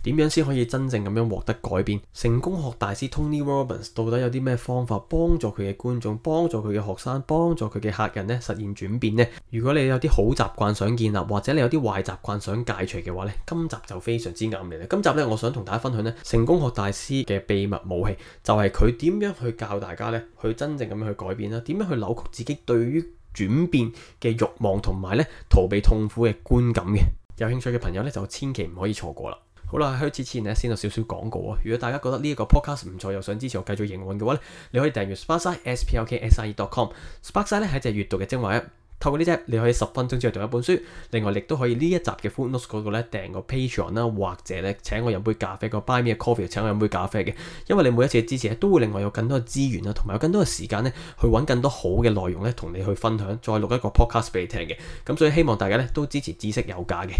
點樣先可以真正咁樣獲得改變？成功學大師 Tony Robbins 到底有啲咩方法幫助佢嘅觀眾、幫助佢嘅學生、幫助佢嘅客人呢實現轉變呢？如果你有啲好習慣想建立，或者你有啲壞習慣想戒除嘅話呢，今集就非常之啱你啦。今集呢，我想同大家分享呢成功學大師嘅秘密武器，就係佢點樣去教大家呢去真正咁樣去改變啦，點樣去扭曲自己對於轉變嘅慾望同埋呢逃避痛苦嘅觀感嘅。有興趣嘅朋友呢，就千祈唔可以錯過啦。好啦，開始之前呢，先有少少廣告啊。如果大家覺得呢一個 podcast 唔錯，又想支持我繼續營運嘅話呢，你可以訂閱 Sparkside sparkside.com。Sparkside 呢係一隻閱讀嘅精華 app，透過呢隻你可以10分鐘之內讀一本書。另外，亦都可以呢一集嘅 footnotes 嗰度呢訂個 Patreon 啦，或者呢請我飲杯咖啡，個 Buy Me a Coffee 請我飲杯咖啡嘅。因為你每一次嘅支持都會令我有更多嘅資源啦，同埋有更多嘅時間呢去揾更多好嘅內容呢同你去分享，再錄一個 podcast 俾你聽嘅。咁所以希望大家呢都支持知識有價嘅。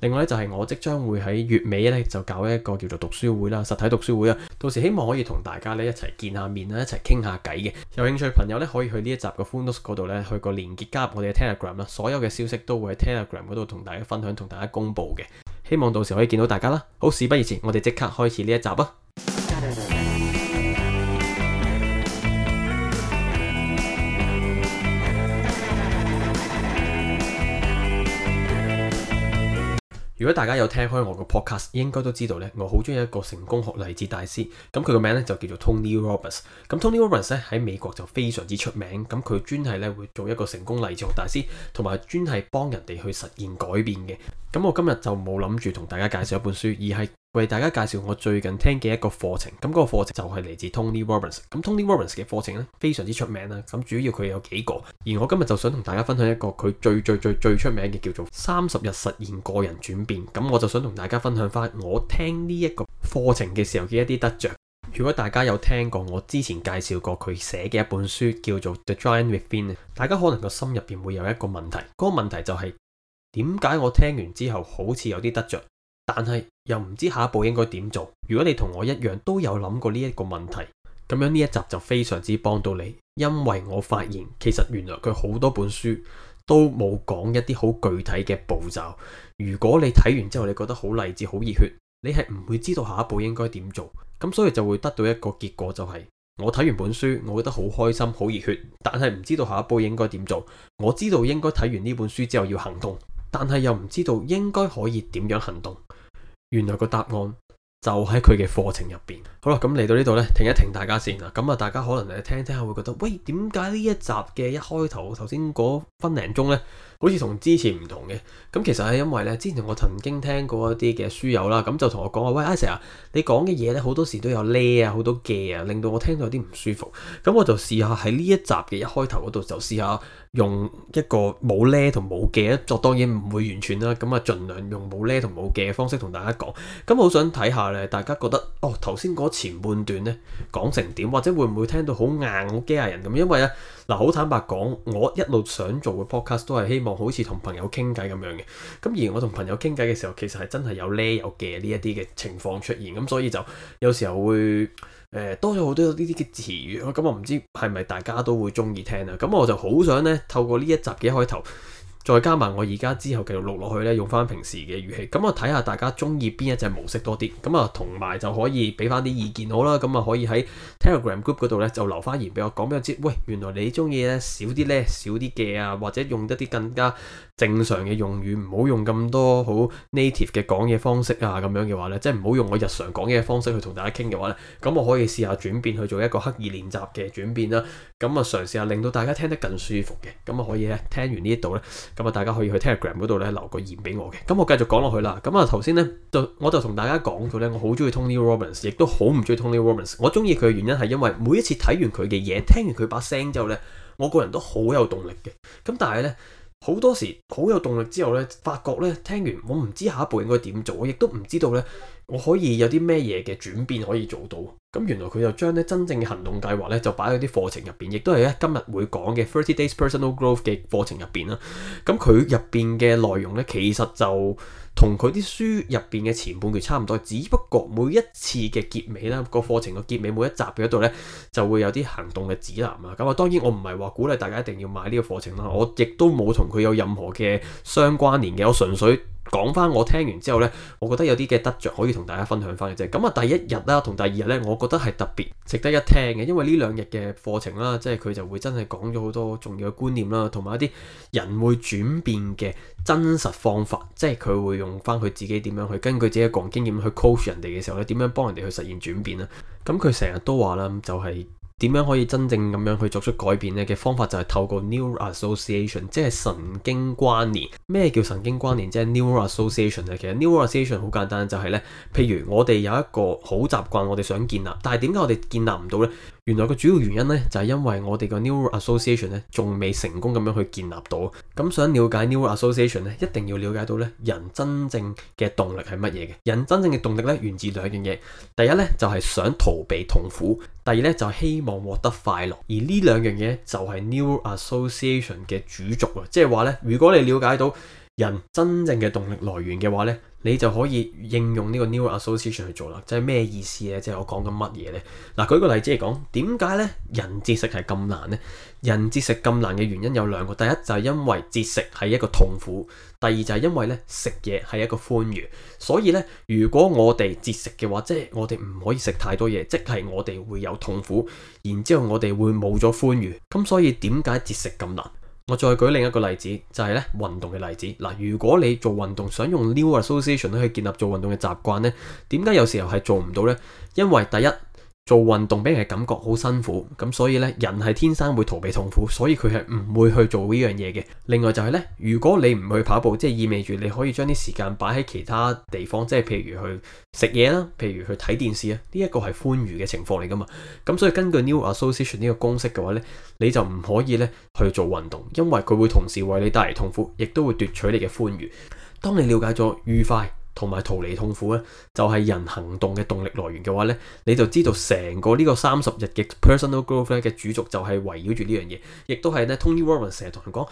另外咧就係我即將會喺月尾咧就搞一個叫做讀書會啦，實體讀書會啊，到時希望可以同大家咧一齊見下面啦，一齊傾下偈嘅。有興趣嘅朋友咧可以去呢一集嘅 footnotes 嗰度咧去個連結加入我哋嘅 Telegram 啦，所有嘅消息都會喺 Telegram 嗰度同大家分享，同大家公佈嘅。希望到時可以見到大家啦。好，事不宜遲，我哋即刻開始呢一集啊！如果大家有聽開我個 podcast，應該都知道咧，我好中意一個成功學勵志大師。咁佢個名咧就叫做 Tony Robbins。咁 Tony Robbins 咧喺美國就非常之出名。咁佢專係咧會做一個成功勵志學大師，同埋專係幫人哋去實現改變嘅。咁我今日就冇諗住同大家介紹一本書，而係為大家介紹我最近聽嘅一個課程。咁嗰個課程就係嚟自 Tony Robbins。咁 Tony Robbins 嘅課程咧非常之出名啦。咁主要佢有幾個，而我今日就想同大家分享一個佢最出名嘅，叫做30日實現個人轉變。咁我就想同大家分享翻我聽呢一個課程嘅時候嘅一啲得着。如果大家有聽過我之前介紹過佢寫嘅一本書叫做 The Giant Within， 大家可能個心入邊會有一個問題，嗰個問題就係點解我聽完之後好似有啲得着，但係又唔知下一步應該點做。如果你同我一樣都有諗過呢一個問題，咁樣呢一集就非常之幫到你，因為我發現其實原來佢好多本書都冇講一啲好具體嘅步驟。如果你睇完之後你覺得好勵志好熱血，你係唔會知道下一步應該點做。咁所以就會得到一個結果，就係我睇完本書我覺得好開心好熱血，但係唔知道下一步應該點做。我知道應該睇完呢本書之後要行動，但係又唔知道應該可以點樣行動。原來個答案就喺佢嘅課程入邊。好啦，咁嚟到呢度呢，停一停大家先啦。咁啊，大家可能聽下會覺得，喂，點解呢一集嘅一開頭頭先嗰分零鐘呢，好似同之前唔同嘅？咁其實係因為呢，之前我曾經聽過一啲嘅書友啦，咁就同我講話，喂，阿 Sir 啊，你講嘅嘢呢，好多時都有呢啊，好多嘅啊，令到我聽到有啲唔舒服。咁我就試下喺呢一集嘅一開頭嗰度就試下用一個冇呢同冇嘅，作當然唔會完全啦。咁啊，盡量用冇呢同冇嘅方式同大家講。咁我好想睇下呢，大家覺得頭先嗰前半段呢講成點，或者會唔會聽到好硬好機械人咁？因為呢，嗱，好坦白講，我一路想做嘅 podcast 都係希望好似同朋友傾偈咁樣嘅。咁而我同朋友傾偈嘅時候，其實係真係有呢有嘅呢一啲嘅情況出現。咁所以就有時候會多咗好多呢啲嘅詞語。咁我唔知係咪大家都會中意聽啊？咁我就好想呢，透過呢一集嘅一開頭，再加埋我而家之後繼續錄落去呢，用翻平時嘅語氣，咁我睇下大家中意邊一隻模式多啲，咁啊同埋就可以俾翻啲意見好啦，咁啊可以喺 Telegram Group 嗰度呢，就留翻言俾我講俾我知，喂，原來你中意呢少啲呢少啲嘅啊，或者用一啲更加正常嘅用語，唔好用咁多好 native 嘅講嘢方式啊，咁樣嘅話呢，即係唔好用我日常講嘢嘅方式去同大家傾嘅話呢，咁我可以試下轉變去做一個刻意練習嘅轉變啦，咁啊嘗試下令到大家聽得更舒服嘅，咁啊可以呢，聽完呢一度呢。咁啊，大家可以去 Telegram 嗰度咧留個言俾我嘅。咁我繼續講落去啦。咁啊，頭先咧我就同大家講咗咧，我好中意 Tony Robbins， 亦都好唔中意 Tony Robbins。我中意佢嘅原因係因為每一次睇完佢嘅嘢，聽完佢把聲之後咧，我個人都好有動力嘅。咁但係咧，好多時好有動力之後咧，發覺咧聽完我唔知下一步應該點做，我亦都唔知道咧我可以有啲咩嘢嘅轉變可以做到。咁原來佢就將咧真正嘅行動計劃咧就擺喺啲課程入邊，亦都係咧今日會講嘅30 Days Personal Growth 嘅課程入邊啦。咁佢入邊嘅內容咧，其實就同佢啲書入邊嘅前半段差唔多，只不過每一次嘅結尾啦，個課程嘅結尾每一集嗰度咧就會有啲行動嘅指南啊。咁啊，當然我唔係話鼓勵大家一定要買呢個課程啦，我亦都冇同佢有任何嘅相關聯嘅，我純粹講翻我聽完之後呢，我覺得有啲嘅得着可以同大家分享翻嘅啫。咁啊，第一日啦同第二日呢，我覺得係特別值得一聽嘅，因為呢兩日嘅課程啦，即係佢就會真係講咗好多重要嘅觀念啦，同埋一啲人會轉變嘅真實方法，即係佢會用翻佢自己點樣去根據自己嘅個人經驗去 coach 人哋嘅時候咧，點樣幫人哋去實現轉變啦。咁佢成日都話啦，就係點樣可以真正咁樣去作出改變呢？嘅方法就係透過 neural association， 即係神經關聯。咩叫神經關聯？即係 neural association 咧。其實 neural association 好簡單，就係呢：譬如我哋有一個好習慣，我哋想建立，但係點解我哋建立唔到呢？原來個主要原因呢，就係因為我哋個 neural association 呢仲未成功咁樣去建立到。咁想了解 neural association 呢，一定要了解到呢人真正嘅動力係乜嘢嘅。人真正嘅動力呢，源自兩樣嘢。第一呢，就係想逃避痛苦，第二呢，就係希望獲得快樂。而呢兩樣嘢就係 neural association 嘅主軸啊！即係話呢，如果你了解到人真正嘅動力來源嘅話呢，你就可以應用呢個 neural association 去做啦。即係咩意思呢？即係我講緊乜嘢呢？嗱，舉個例子嚟講，點解呢人節食係咁難呢？人節食咁難嘅原因有兩個，第一就係因為節食係一個痛苦，第二就係因為呢食嘢係一個歡愉。所以呢，如果我哋節食嘅話，即係我哋唔可以食太多嘢，即係我哋會有痛苦，然之後我哋會冇咗歡愉。咁所以點解節食咁難？我再舉另一個例子，就係咧運動嘅例子。嗱，如果你做運動想用 neural association 去建立做運動嘅習慣呢，點解有時候係做唔到呢？因為第一，做運動俾人嘅感覺好辛苦，咁所以呢，人係天生會逃避痛苦，所以佢係唔會去做呢樣嘢嘅。另外就係呢，如果你唔去跑步，即係意味住你可以將啲時間擺喺其他地方，即係譬如去食嘢啦，譬如去睇電視啊，呢一個係歡愉嘅情況嚟噶嘛。咁所以根據 neural association 呢個公式嘅話呢，你就唔可以呢去做運動，因為佢會同時為你帶嚟痛苦，亦都會奪取你嘅歡愉。當你了解咗愉快同埋逃離痛苦咧，就係人行動嘅動力來源嘅話咧，你就知道成個呢個30日嘅 personal growth 咧嘅主軸就係圍繞住呢樣嘢，亦都係咧 Tony Robbins 成日同人講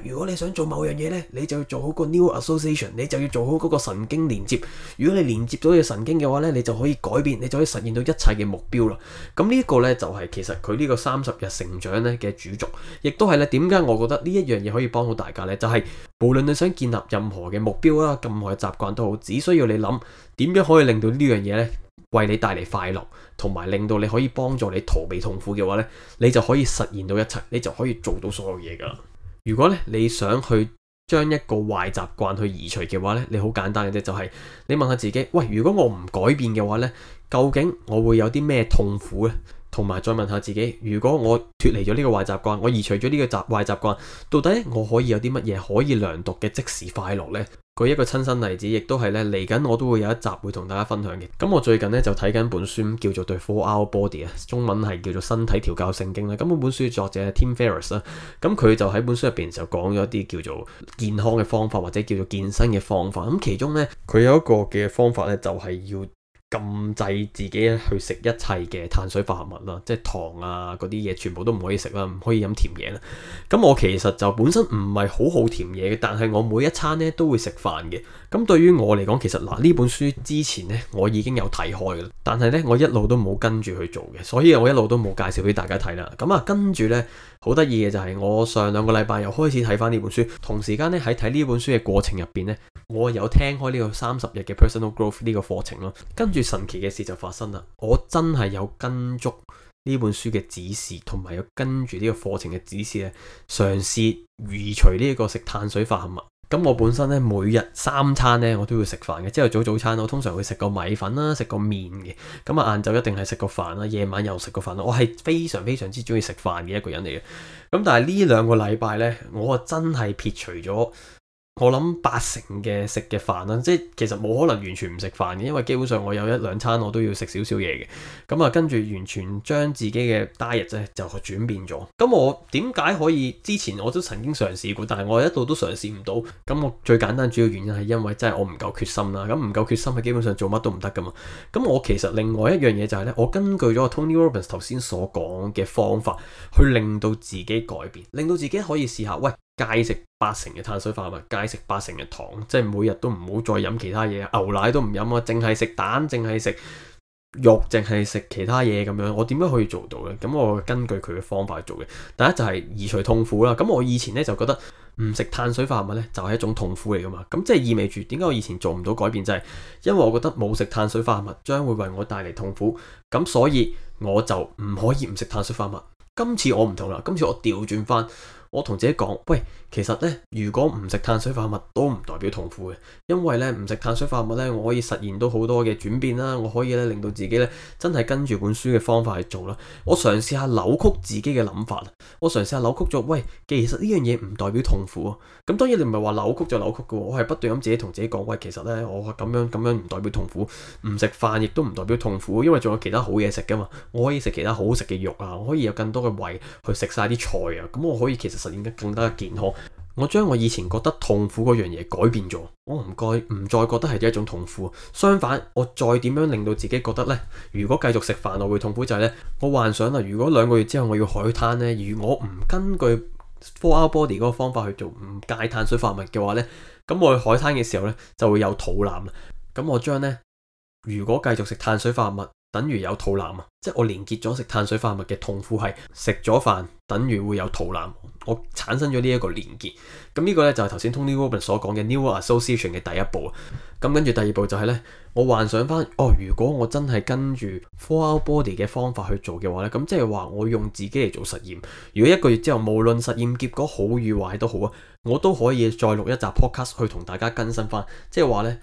如果你想做某樣嘢咧，你就要做好個 neural association， 你就要做好嗰個神經連接。如果你連接到嘅神經嘅話咧，你就可以改變，你就可以實現到一切嘅目標啦。咁呢一個咧就係其實佢呢個30日成長咧嘅主軸，亦都係咧點解我覺得呢一樣嘢可以幫到大家咧，就係無論你想建立任何嘅目標啦、任何嘅習慣都好，只需要你諗點樣可以令到呢樣嘢咧為你帶嚟快樂，同埋令到你可以幫助你逃避痛苦嘅話咧，你就可以實現到一切，你就可以做到所有嘢噶啦。如果咧你想去將一個壞習慣去移除嘅話咧，你好簡單嘅啫，就係你問下自己，喂，如果我唔改變嘅話咧，究竟我會有啲咩痛苦咧？同埋再問下自己，如果我脫離咗呢個壞習慣，我移除咗呢個壞習慣，到底我可以有啲乜嘢可以量度嘅即時快樂呢？舉一個親身例子，亦都係咧嚟緊我都會有一集會同大家分享嘅。咁我最近咧就睇緊本書叫做《The 4-Hour Body》啊，中文係叫做《身體調教聖經》啦。咁本書作者係 Tim Ferriss 啦，咁佢就喺本書入邊就講咗一啲叫做健康嘅方法，或者叫做健身嘅方法。咁其中咧佢有一個嘅方法咧，就係要禁制自己去食一切嘅碳水化合物啦，即係糖啊嗰啲嘢全部都唔可以食啦，唔可以飲甜嘢啦。咁我其實就本身唔係好甜嘢嘅，但係我每一餐咧都會食飯嘅。咁對於我嚟講，其實呢本書之前咧我已經有睇開嘅，但係咧我一路都冇跟住去做嘅，所以我一路都冇介紹俾大家睇啦。咁跟住咧好得意嘅就係我上2個禮拜又開始睇翻呢本書，同時間咧喺睇呢本書嘅過程入邊咧，我有聽開呢個30日嘅 personal growth 呢個課程咯。跟住神奇嘅事就發生啦，我真係有跟足呢本書嘅指示，同埋有跟住呢個課程嘅指示咧，嘗試移除呢個食碳水化合物。咁我本身咧每日3餐咧我都要食飯嘅，朝頭早餐我通常會食個米粉啦，食個麵嘅。咁晏晝一定係食個飯啦，夜晚又食個飯啦。我係非常非常之中意食飯嘅一個人嚟嘅。咁但係呢2個禮拜咧，我真係撇除咗我諗80%嘅食嘅飯啦，即係其實冇可能完全唔食飯嘅，因為基本上我有1-2餐我都要食少少嘢嘅。咁跟住完全將自己嘅 diet 咧就轉變咗。咁我點解可以？之前我都曾經嘗試過，但係我一路都嘗試唔到。咁我最簡單主要原因係因為真係我唔夠決心啦。咁唔夠決心係基本上做乜都唔得噶嘛。咁我其實另外一樣嘢就係咧，我根據咗 Tony Robbins 頭先所講嘅方法，去令到自己改變，令到自己可以試下，喂，戒食80%嘅碳水化合物，戒食80%嘅糖，即係每日都唔好再飲其他嘢，牛奶都唔飲啊，淨係食蛋，淨係食肉淨係食其他嘢咁樣，我點樣可以做到呢？咁我根據佢嘅方法去做嘅。第一就係移除痛苦啦。咁我以前呢，就覺得唔食碳水化合物呢，就係一種痛苦嚟噶嘛。咁即係意味住點解我以前做唔到改變，就係因為我覺得冇食碳水化合物將會為我帶嚟痛苦，咁所以我就唔可以唔食碳水化合物。今次我唔同啦，今次我調轉翻。我同自己講，喂，其實呢，如果唔食碳水化合物都唔代表痛苦嘅，因為呢，唔食碳水化合物呢，我可以實現到好多嘅轉變啦，我可以呢，令到自己呢，真係跟住本書嘅方法去做啦。我嘗試下扭曲自己嘅諗法，我嘗試下扭曲咗，喂，其實呢樣嘢唔代表痛苦啊。咁當然你唔係話扭曲就扭曲嘅，我係不斷咁自己同自己講，喂，其實呢，我咁樣唔代表痛苦，唔食飯亦都唔代表痛苦，因為仲有其他好嘢食噶嘛，我可以食其他好食嘅肉啊，我可以有更多嘅胃去食晒啲菜啊，咁我可以其實實現得更加健康。我將我以前覺得痛苦嗰樣嘢改變咗，我唔再覺得係一種痛苦。相反，我再點樣令到自己覺得呢？如果繼續食飯我會痛苦就係呢：我幻想啦，如果2個月之後我要海灘呢，如果我唔根據 4 Hour Body 嗰個方法去做，唔戒碳水化合物嘅話呢，咁我去海灘嘅時候呢，就會有肚腩啦。咁我將呢，如果繼續食碳水化合物等於有肚腩啊，即係我連結咗食碳水化合物嘅痛苦係食咗飯等於會有肚腩，我產生咗呢一個連結。咁呢個呢，就係頭先 Tony Robbins 所講嘅 Neural Association 嘅第一步。咁跟住第二步就係呢：我幻想翻，如果我真係跟住 4 Hour Body 嘅方法去做嘅話呢，咁即係話我用自己嚟做實驗。如果1個月之後無論實驗結果好與壞都好啊，我都可以再錄一集 podcast 去同大家更新翻，即係話呢。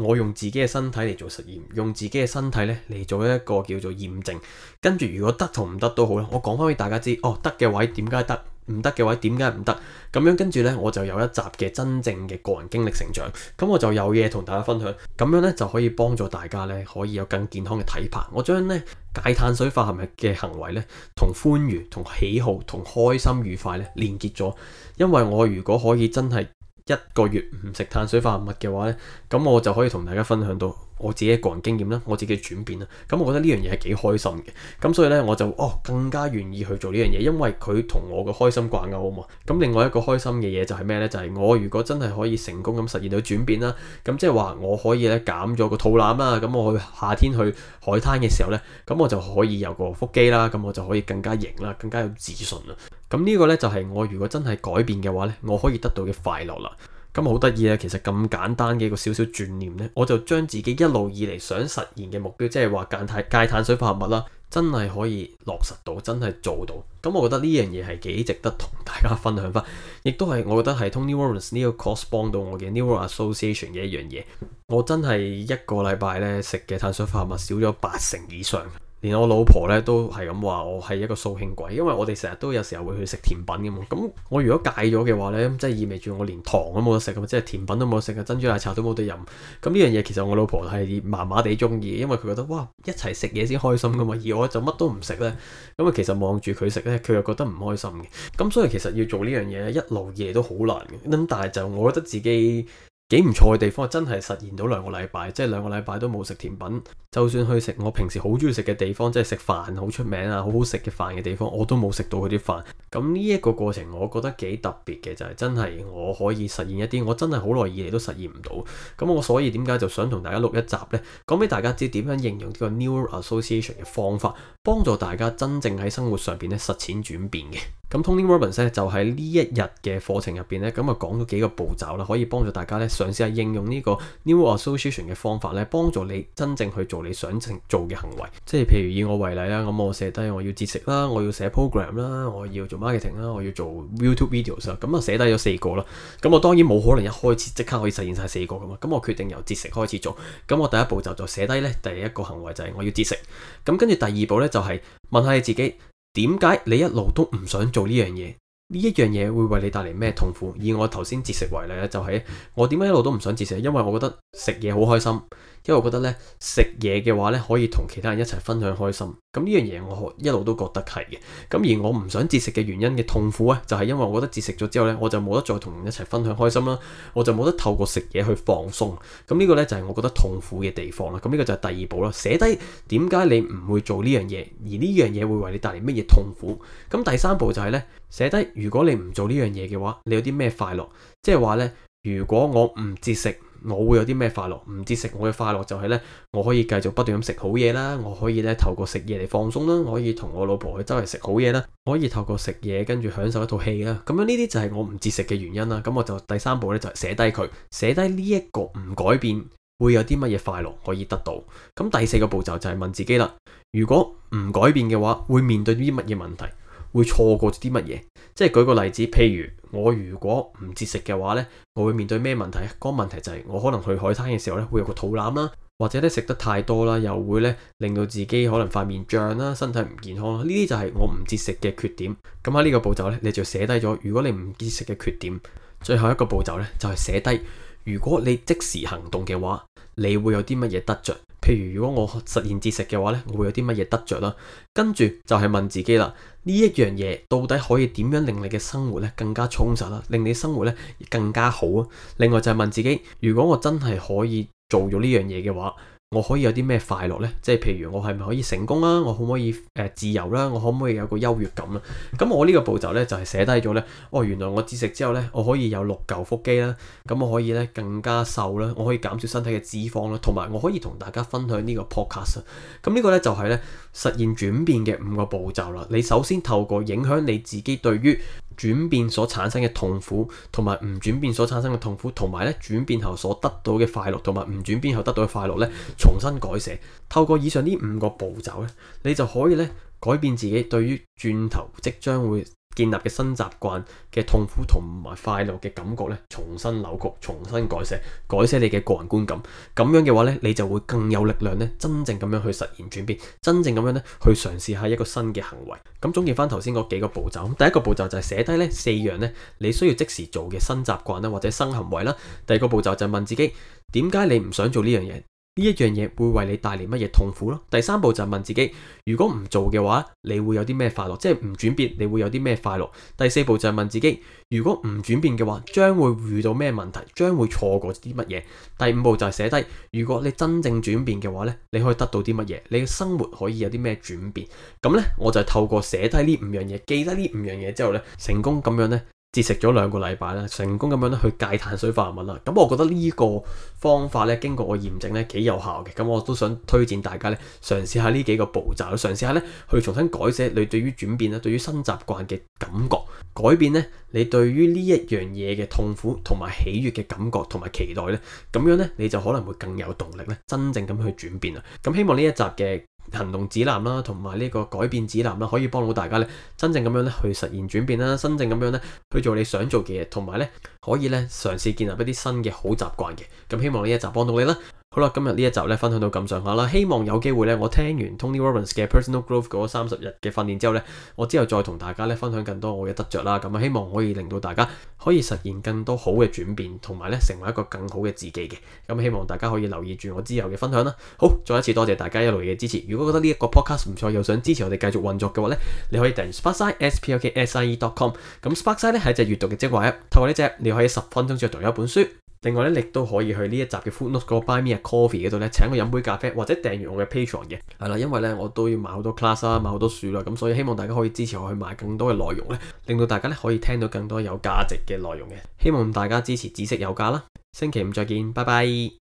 我用自己嘅身體嚟做實驗，用自己嘅身體咧嚟做一個叫做驗證，跟住如果得同唔得都好啦，我講翻俾大家知，得嘅位點解得，唔得嘅位點解唔得，咁樣跟住呢，我就有一集嘅真正嘅個人經歷成長，咁我就有嘢同大家分享，咁樣呢，就可以幫助大家呢，可以有更健康嘅體魄。我將呢戒碳水化合物嘅行為呢，同歡愉、同喜好、同開心愉快呢連結咗，因為我如果可以真係1個月唔食碳水化合物嘅話呢，咁我就可以同大家分享到我自己嘅個人經驗啦，我自己嘅轉變啦。咁我覺得呢樣嘢係幾開心嘅，咁所以呢，我就更加願意去做呢樣嘢，因為佢同我嘅開心掛鈎啊嘛。咁另外一個開心嘅嘢就係咩呢？就係我如果真係可以成功咁實現到轉變啦，咁即係話我可以咧減咗個肚腩啦，咁我去夏天去海灘嘅時候呢，咁我就可以有個腹肌啦，咁我就可以更加型啦，更加有自信啦。咁呢個呢，就係我如果真係改變嘅話呢，我可以得到嘅快樂啦。咁好得意啊！其實咁簡單嘅一個少少轉念呢，我就將自己一路以嚟想實現嘅目標，即係話戒碳水化合物啦，真係可以落實到，真係做到。咁我覺得呢樣嘢係幾值得同大家分享翻，亦都係我覺得係 Tony Robbins 呢個 course 幫到我嘅 Neural Association 嘅一樣嘢。我真係1個禮拜呢食嘅碳水化合物少咗80%以上。連我老婆咧都係咁話我係一個掃興鬼，因為我哋成日都有時候會去食甜品嘅嘛。咁我如果戒咗嘅話咧，即係意味住我連糖都冇得食，即係甜品都冇得食，珍珠奶茶都冇得飲。咁呢樣嘢其實我老婆係麻麻地中意，因為佢覺得哇，一齊食嘢先開心噶嘛，而我就乜都唔食咧。咁啊其實望住佢食咧，佢又覺得唔開心嘅。咁所以其實要做呢樣嘢一路以嚟都好難嘅。咁但係就我覺得自己幾唔錯嘅地方，真係實現到2個禮拜，即係2個禮拜都冇食甜品。就算去食我平時好中意食嘅地方，即係食飯好出名啊、好好食嘅飯嘅地方，我都冇食到佢啲飯。咁呢一個過程，我覺得幾特別嘅，就係真係我可以實現一啲我真係好耐以嚟都實現唔到。咁我所以點解就想同大家錄一集呢？講俾大家知點樣應用呢個 Neural Association 嘅方法，幫助大家真正喺生活上邊咧實踐轉變嘅。咁 Tony Robbins 咧就喺呢一日嘅課程入邊咧，咁啊講咗幾個步驟啦，可以幫助大家咧嘗試下應用呢個 Neural Association 嘅方法咧，幫助你真正去做你想做嘅行為。即係譬如以我為例啦，咁我寫低我要節食啦，我要寫 program 啦，我要做 marketing 啦，我要做 YouTube videos 啦，咁啊寫低咗4個啦。咁我當然冇可能一開始即刻可以實現晒4個噶嘛，咁我決定由節食開始做。咁我第一步就寫低咧，第一個行為就係我要節食。咁跟住第二步咧就係問下你自己，點解你一路都唔想做呢樣嘢？呢一樣嘢會為你帶嚟咩痛苦？以我頭先節食為例咧，就係我點解一路都唔想節食？因為我覺得食嘢好開心，因為我覺得咧食嘢嘅話咧可以同其他人一齊分享開心。咁呢樣嘢我一路都覺得係嘅。咁而我唔想節食嘅原因嘅痛苦咧，就係因為我覺得節食咗之後咧，我就冇得再同人一齊分享開心啦，我就冇得透過食嘢去放鬆。咁呢個咧就係我覺得痛苦嘅地方啦。咁呢個就係第二步啦，寫低點解你唔會做呢樣嘢，而呢樣嘢會為你帶嚟乜嘢痛苦。咁第三步就係咧寫低，如果你唔做呢樣嘢嘅話，你有啲咩快樂？即係話咧，如果我唔節食，我會有啲咩快樂？唔節食我嘅快樂就係呢：我可以繼續不斷咁食好嘢啦，我可以呢透過食嘢嚟放鬆啦，我可以同我老婆去周圍食好嘢啦，我可以透過食嘢跟住享受一套戲啦。咁樣呢啲就係我唔節食嘅原因啦。咁我就第3步呢，就係寫低佢，寫低呢一個唔改變會有啲乜嘢快樂可以得到。咁第4個步驟就係問自己啦，如果唔改變嘅話，會面對啲乜嘢問題？會錯過啲乜嘢？即係舉個例子，譬如我如果唔節食嘅話呢，我會面對咩問題？嗰個問題就係我可能去海灘嘅時候呢，會有個肚腩啦，或者咧食得太多啦，又會咧令到自己可能塊面脹啦，身體唔健康啦。呢啲就係我唔節食嘅缺點。咁喺呢個步驟呢，你就寫低咗，如果你唔節食嘅缺點。最後一個步驟呢，就係寫低，如果你即時行動嘅話，你會有啲乜嘢得着？譬如如果我實現節食嘅話呢，我會有啲乜嘢得着啦？跟住就係問自己啦，呢一樣嘢到底可以點樣令你嘅生活咧更加充實啦，令你生活咧更加好啊？另外就係問自己，如果我真係可以做咗呢樣嘢嘅話，我可以有啲咩快樂呢？即係譬如我係咪可以成功啦？我可唔可以自由啦？我可唔可以有個優越感啦？咁我呢個步驟呢，就係寫低咗呢：原來我節食之後呢，我可以有6嚿腹肌啦，咁我可以呢更加瘦啦，我可以減少身體嘅脂肪啦，同埋我可以同大家分享呢個 podcast。咁呢個呢，就係呢實現轉變嘅5個步驟啦。你首先透過影響你自己對於轉變所產生嘅痛苦，同埋唔轉變所產生嘅痛苦，同埋咧轉變後所得到嘅快樂，同埋唔轉變後得到嘅快樂咧，重新改寫。透過以上呢5個步驟咧，你就可以咧改變自己對於轉頭即將會建立嘅新習慣嘅痛苦同埋快樂嘅感覺咧，重新扭曲，重新改寫你嘅個人觀感。咁樣嘅話咧，你就會更有力量咧，真正咁樣去實現轉變，真正咁樣咧去嘗試下一個新嘅行為。咁總結翻頭先嗰幾個步驟，第一個步驟就係寫低咧4樣咧你需要即時做嘅新習慣啦，或者新行為啦。第二個步驟就係問自己，點解你唔想做呢樣嘢？呢一樣嘢會為你帶嚟乜嘢痛苦咯？第3步就係問自己，如果唔做嘅話，你會有啲咩快樂？即係唔轉變，你會有啲咩快樂？第4步就係問自己，如果唔轉變嘅話，將會遇到咩問題？將會錯過啲乜嘢？第5步就係寫低，如果你真正轉變嘅話呢，你可以得到啲乜嘢？你嘅生活可以有啲咩轉變？咁呢，我就透過寫低呢5樣嘢，記得呢5樣嘢之後呢，成功咁樣呢。節食咗2個禮拜啦，成功咁樣咧去戒碳水化合物啦。咁我覺得呢個方法咧，經過我驗證咧幾有效嘅。咁我都想推薦大家咧嘗試下呢幾個步驟，嘗試下咧去重新改寫你對於轉變啦、對於新習慣嘅感覺，改變咧你對於呢一樣嘢嘅痛苦同埋喜悅嘅感覺同埋期待咧，咁樣咧你就可能會更有動力咧，真正咁去轉變啦。咁希望呢一集嘅行動指南啦，同埋呢個改變指南啦，可以幫到大家咧，真正咁樣咧去實現轉變啦，真正咁樣咧去做你想做嘅嘢，同埋咧可以咧嘗試建立一啲新嘅好習慣嘅。咁希望呢一集幫到你啦。好啦，今日呢一集咧分享到咁上下啦，希望有機會咧，我聽完 Tony Robbins 嘅 Personal Growth 嗰30日嘅訓練之後咧，我之後再同大家咧分享更多我嘅得着啦。咁啊，希望可以令到大家可以實現更多好嘅轉變，同埋咧成為一個更好嘅自己嘅。咁希望大家可以留意住我之後嘅分享啦。好，再一次多謝大家一路嘅支持。如果覺得呢一個 podcast 唔錯，又想支持我哋繼續運作嘅話咧，你可以訂閱 Sparkside sparkside.com。咁 Sparkside 咧係隻閱讀嘅精華 app，透過呢隻你可以10分鐘之內讀一本書。另外咧，亦都可以去呢一集嘅 Footnote 嗰個 Buy Me a Coffee 嗰度咧，請我飲杯咖啡，或者訂閱我嘅 Patreon 嘅。係啦，因為咧我都要買好多 class 啦，買好多書啦，咁所以希望大家可以支持我去買更多嘅內容咧，令到大家咧可以聽到更多有價值嘅內容嘅。希望大家支持知識有價啦。星期五再見，拜拜。